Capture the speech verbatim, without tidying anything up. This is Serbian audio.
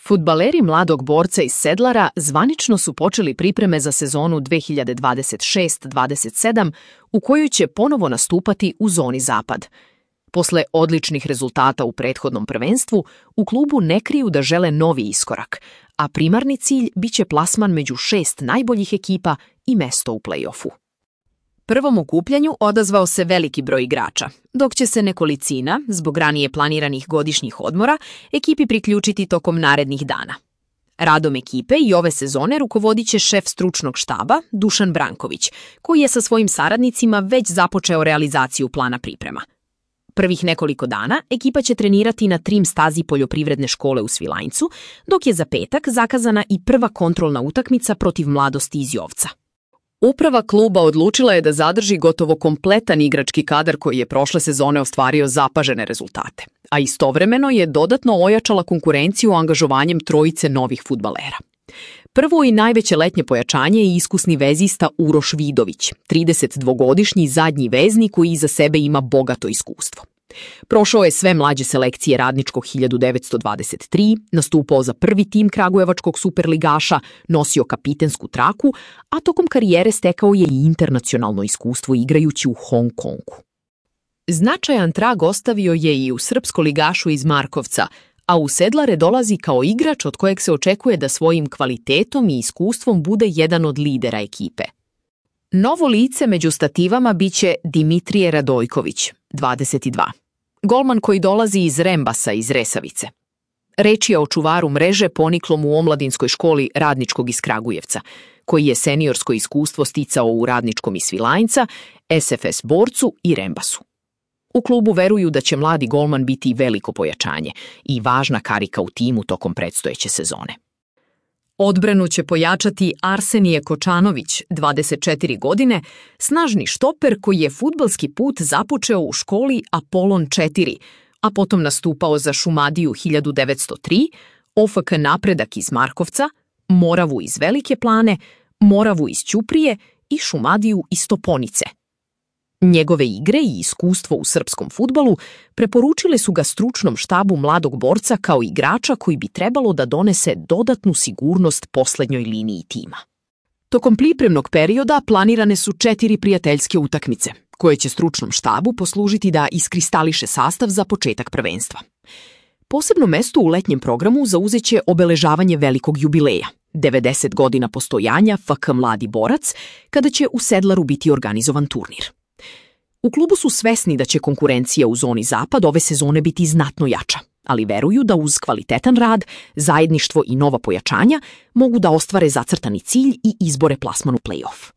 Fudbaleri Mladog Borca iz Sedlara zvanično su počeli pripreme za sezonu dve hiljade dvadeset šest dvadeset sedam u kojoj će ponovo nastupati u zoni Zapad. Posle odličnih rezultata u prethodnom prvenstvu, u klubu ne kriju da žele novi iskorak, a primarni cilj biće plasman među šest najboljih ekipa i mesto u play-offu. Prvom okupljanju odazvao se veliki broj igrača, dok će se nekolicina, zbog ranije planiranih godišnjih odmora, ekipi priključiti tokom narednih dana. Radom ekipe i ove sezone rukovodit će šef stručnog štaba Dušan Branković, koji je sa svojim saradnicima već započeo realizaciju plana priprema. Prvih nekoliko dana ekipa će trenirati na trim stazi poljoprivredne škole u Svilajncu, dok je za petak zakazana i prva kontrolna utakmica protiv Mladosti iz Jovca. Uprava kluba odlučila je da zadrži gotovo kompletan igrački kadar koji je prošle sezone ostvario zapažene rezultate, a istovremeno je dodatno ojačala konkurenciju angažovanjem trojice novih fudbalera. Prvo i najveće letnje pojačanje je iskusni vezista Uroš Vidović, tridesetdvogodišnji zadnji vezni koji iza sebe ima bogato iskustvo. Prošao je sve mlađe selekcije Radničkog hiljadu devetsto dvadeset tri, nastupao za prvi tim kragujevačkog superligaša, nosio kapitensku traku, a tokom karijere stekao je i internacionalno iskustvo igrajući u Hong Kongu. Značajan trag ostavio je i u srpskoligašu iz Markovca, a u Sedlare dolazi kao igrač od kojeg se očekuje da svojim kvalitetom i iskustvom bude jedan od lidera ekipe. Novo lice među stativama biće Dimitrije Radojković, dvadeset dva. Golman koji dolazi iz Rembasa iz Resavice. Reč je o čuvaru mreže poniklom u omladinskoj školi Radničkog iz Kragujevca, koji je seniorsko iskustvo sticao u Radničkom iz Svilajnca, S F S Borcu i Rembasu. U klubu veruju da će mladi golman biti veliko pojačanje i važna karika u timu tokom predstojeće sezone. Odbranu će pojačati Arsenije Kočanović, dvadeset četiri godine, snažni štoper koji je fudbalski put započeo u školi Apolon četiri, a potom nastupao za Šumadiju hiljadu devetsto tri, O F K Napredak iz Markovca, Moravu iz Velike Plane, Moravu iz Ćuprije i Šumadiju iz Toponice. Njegove igre i iskustvo u srpskom fudbalu preporučile su ga stručnom štabu Mladog Borca kao igrača koji bi trebalo da donese dodatnu sigurnost poslednjoj liniji tima. Tokom pripremnog perioda planirane su četiri prijateljske utakmice, koje će stručnom štabu poslužiti da iskristališe sastav za početak prvenstva. Posebno mesto u letnjem programu zauzeće obeležavanje velikog jubileja, devedeset godina postojanja F K Mladi Borac, kada će u Sedlaru biti organizovan turnir. U klubu su svesni da će konkurencija u zoni Zapad ove sezone biti znatno jača, ali veruju da uz kvalitetan rad, zajedništvo i nova pojačanja mogu da ostvare zacrtani cilj i izbore plasman u play-off.